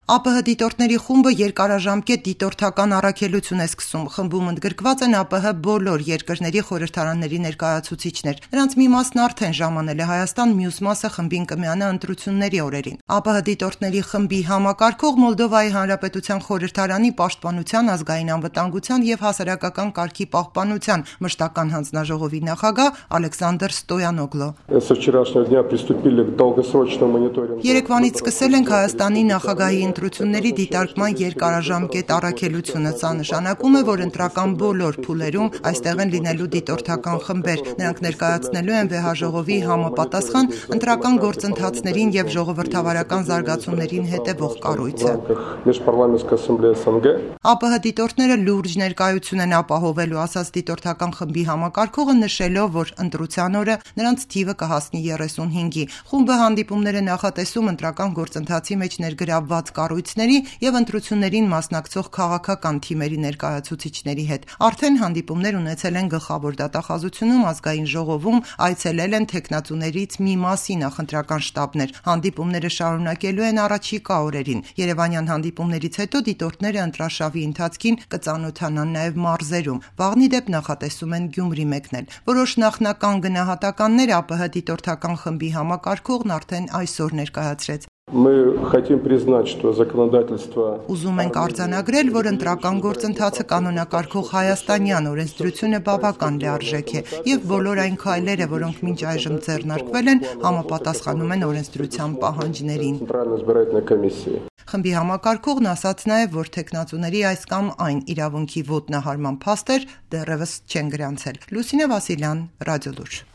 ԱՊՀ դիտորդների խումբը երկարաժամկետ դիտորդական առաքելություն է սկսում։ Խմբում ընդգրկված են ԱՊՀ բոլոր երկրների խորհրդարանների ներկայացուցիչներ։ Նրանց մի մասն արդեն ժամանել է Հայաստան, մյուս մասը խմբին կմիանա ընտրությունների օրերին։ ԱՊՀ դիտորդների խմբի համակարգող Մոլդովայի Հանրապետության խորհրդարանի պաշտպանության, ազգային անվտանգության եւ հասարակական կարգի պահպանության մշտական հանձնաժողովի նախագահ Ալեքսանդր Ստոյանոգլո։ Երեկվանից սկսել ենք Հայաստանի նախագահի ընտրությունների դիտարկման երկարաժամկետ առաքելությունը։ Սա նշանակում է, որ ընտրական բոլոր փուլերում այստեղ են լինելու դիտորդական խմբեր։ Նրանք ներկայացնելու են վեհաժողովի համապատասխան ընտրական գործընթացներին եւ ժողովրդավարական զարգացումներին հետևող կառույցը։ ԱՊՀ դիտորդները լուրջ ներկայություն են ապահովելու, ասաց դիտորդական խմբի համակարգողը, նշելով, որ ընտրության օրը նրանց թիվը կհասնի 35-ի։ Խումբը հանդիպումներ է նախատեսում ընտրական գործընթացի մեջ ներգրավված կառույցների եւ ընտրություններին մասնակցող քաղաքական թիմերի ներկայացուցիչների հետ։ Արդեն հանդիպումներ ունեցել են Գլխավոր դատախազությունում, Ազգային ժողովում, այցելել են թեկնածուներից մի մասի նախընտրական շտաբներ։ Հանդիպումները շարունակելու են առաջիկա օրերին։ Երևանյան հանդիպումներից հետո դիտորդները ընտրաշավի ընթացքին կծանոթանան նաեւ մարզերում։ Վաղնի դեպ նախատեսում են Գյումրի մեկնել։ Որոշ նախնական գնահատականներ ԱՊՀ դիտորդական խմբի համակարգողն արդեն այսօր ներկայացրեց։ Ուզում ենք արձանագրել, որ ընտրական գործընթացը կանոնակարգող հայաստանյան օրենսդրությունը բավական լիարժեք է եւ բոլոր այն քայլերը, որոնք մինչ այժմ ձեռնարկվել են, համապատասխանում են օրենսդրության պահանջներին։ Խմբի համակարգողն ասաց նաեւ, որ թեկնածուների այս կամ այն իրավունքի ոտնահարման փաստեր դեռևս չեն գրանցել։ Լուսինե Վասիլյան, Ռադիոլուր։